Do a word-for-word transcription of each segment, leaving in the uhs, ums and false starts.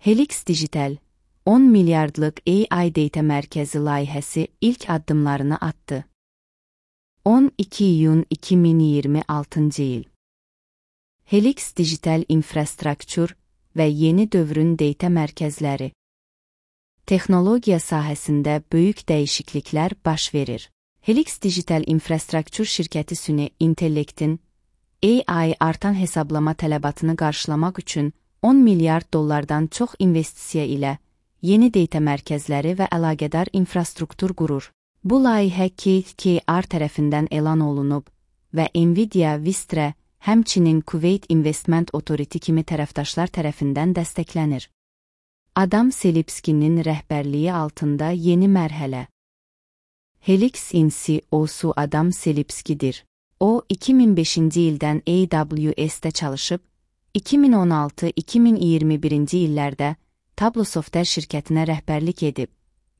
Helix Digital, on milyardlıq A I data mərkəzi layihəsi ilk addımlarını attı. on iki iyun iki min iyirmi altıncı il. Helix Digital Infrastructure və yeni dövrün data mərkəzləri. Texnologiya sahəsində böyük dəyişikliklər baş verir. Helix Digital Infrastructure şirkəti süni intellektin A I artan hesablama tələbatını qarşılamaq üçün on milyard dollardan çox investisiya ilə yeni data mərkəzləri və əlaqədar infrastruktur qurur. Bu layihə K K R tərəfindən elan olunub və Nvidia, Vistra, həmçinin Kuwait Investment Authority kimi tərəfdaşlar tərəfindən dəstəklənir. Adam Selipskinin rəhbərliyi altında yeni mərhələ. Helix in C E O'su Adam Selipskidir. O, iki min beşinci ildən A W S'də çalışıb, iki min on altı iki min iyirmi birinci illərdə Tableau Software şirkətinə rəhbərlik edib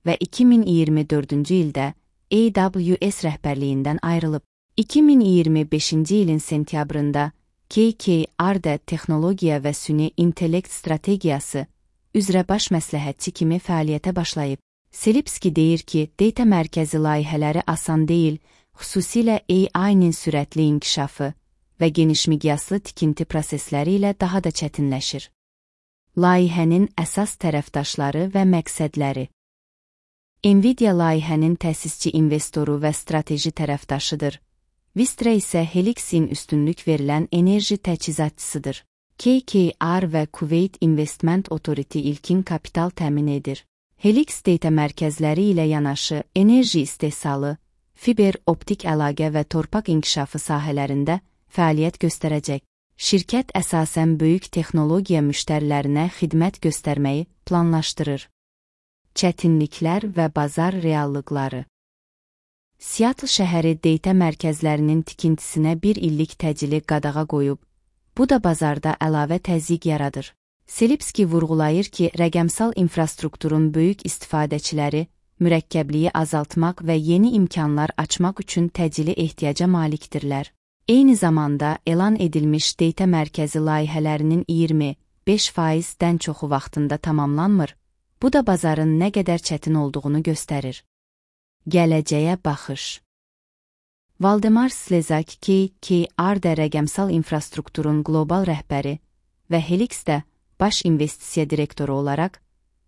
və iki min iyirmi dördüncü ildə A W S rəhbərliyindən ayrılıb. iki min iyirmi beşinci ilin sentyabrında K K R-də texnologiya və süni intellekt strategiyası üzrə baş məsləhətçi kimi fəaliyyətə başlayıb. Selipski deyir ki, data mərkəzi layihələri asan deyil, xüsusilə A I-nin sürətli inkişafı və geniş miqyaslı tikinti prosesləri ilə daha da çətinləşir. Layihənin əsas tərəfdaşları və məqsədləri. Nvidia layihənin təsisçi investoru və strateji tərəfdaşıdır. Vistra isə Helixin üstünlük verilən enerji təchizatçısıdır. K K R və Kuwait Investment Authority ilkin kapital təmin edir. Helix data mərkəzləri ilə yanaşı enerji istehsalı, fiber optik əlaqə və torpaq inkişafı sahələrində fəaliyyət göstərəcək. Şirkət əsasən böyük texnologiya müştərilərinə xidmət göstərməyi planlaşdırır. Çətinliklər və bazar reallıqları. Seattle şəhəri data mərkəzlərinin tikintisinə bir illik təcili qadağa qoyub, bu da bazarda əlavə təzyiq yaradır. Selipski vurğulayır ki, rəqəmsal infrastrukturun böyük istifadəçiləri mürəkkəbliyi azaltmaq və yeni imkanlar açmaq üçün təcili ehtiyaca malikdirlər. Eyni zamanda elan edilmiş data mərkəzi layihələrinin iyirmi beş faizdən çoxu vaxtında tamamlanmır, bu da bazarın nə qədər çətin olduğunu göstərir. Gələcəyə baxış. Valdemar Slezak K K R-də rəqəmsal infrastrukturun qlobal rəhbəri və Helix-də baş investisiya direktoru olaraq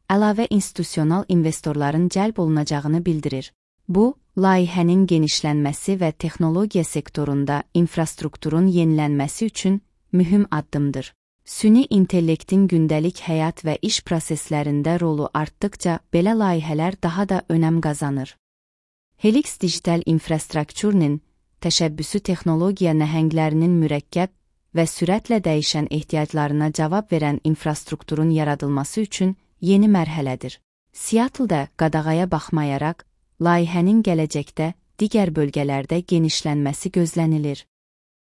əlavə institusional investorların cəlb olunacağını bildirir. Bu, layihənin genişlənməsi və texnologiya sektorunda infrastrukturun yenilənməsi üçün mühüm addımdır. Süni intellektin gündəlik həyat və iş proseslərində rolu artdıqca belə layihələr daha da önəm qazanır. Helix Digital Infrastructure'nin təşəbbüsü texnologiya nəhənglərinin mürəkkəb və sürətlə dəyişən ehtiyaclarına cavab verən infrastrukturun yaradılması üçün yeni mərhələdir. Seattle-da qadağaya baxmayaraq, layihənin gələcəkdə digər bölgələrdə genişlənməsi gözlənilir.